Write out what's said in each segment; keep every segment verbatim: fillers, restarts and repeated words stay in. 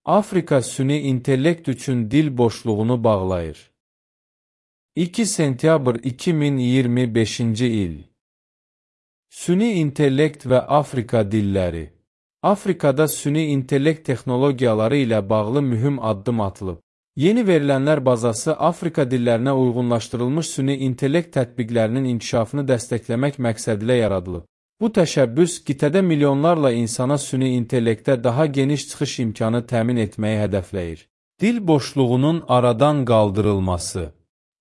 Afrika süni intellekt üçün dil boşluğunu bağlayır. iki sentyabr iki min iyirmi beşinci il. Süni intellekt və Afrika dilləri. Afrikada süni intellekt texnologiyaları ilə bağlı mühüm addım atılıb. Yeni verilənlər bazası Afrika dillərinə uyğunlaşdırılmış süni intellekt tətbiqlərinin inkişafını dəstəkləmək məqsədilə yaradılıb. Bu təşəbbüs qitədə milyonlarla insana süni intellektə daha geniş çıxış imkanı təmin etməyi hədəfləyir. Dil boşluğunun aradan qaldırılması.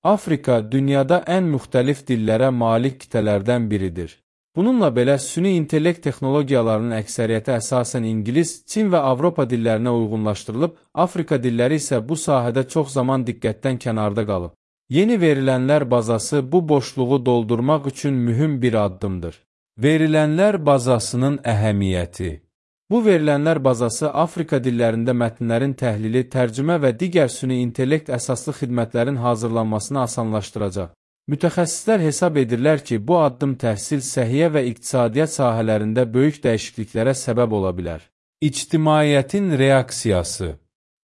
Afrika dünyada ən müxtəlif dillərə malik qitələrdən biridir. Bununla belə süni intellekt texnologiyalarının əksəriyyəti əsasən İngilis, Çin və Avropa dillərinə uyğunlaşdırılıb, Afrika dilləri isə bu sahədə çox zaman diqqətdən kənarda qalıb. Yeni verilənlər bazası bu boşluğu doldurmaq üçün mühüm bir addımdır. Verilənlər bazasının əhəmiyyəti. Bu verilənlər bazası Afrika dillərində mətnlərin təhlili, tərcümə və digər süni intellekt əsaslı xidmətlərin hazırlanmasını asanlaşdıracaq. Mütəxəssislər hesab edirlər ki, bu addım təhsil, səhiyyə və iqtisadiyyat sahələrində böyük dəyişikliklərə səbəb ola bilər. İctimaiyyətin reaksiyası.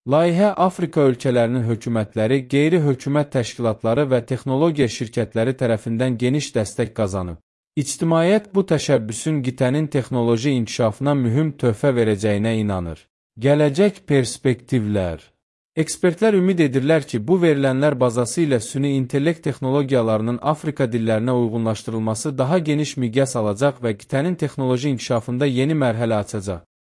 Layihə Afrika ölkələrinin hökumətləri, qeyri-hökumət təşkilatları və texnologiya şirkətləri tərəfindən geniş dəstək qazanıb. İctimaiyyət bu təşəbbüsün qitənin texnoloji inkişafına mühüm töhfə verəcəyinə inanır. Gələcək perspektivlər. Ekspertlər ümid edirlər ki, bu verilənlər bazası ilə süni intellekt texnologiyalarının Afrika dillərinə uyğunlaşdırılması daha geniş miqyas alacaq və qitənin texnoloji inkişafında yeni mərhələ açacaq.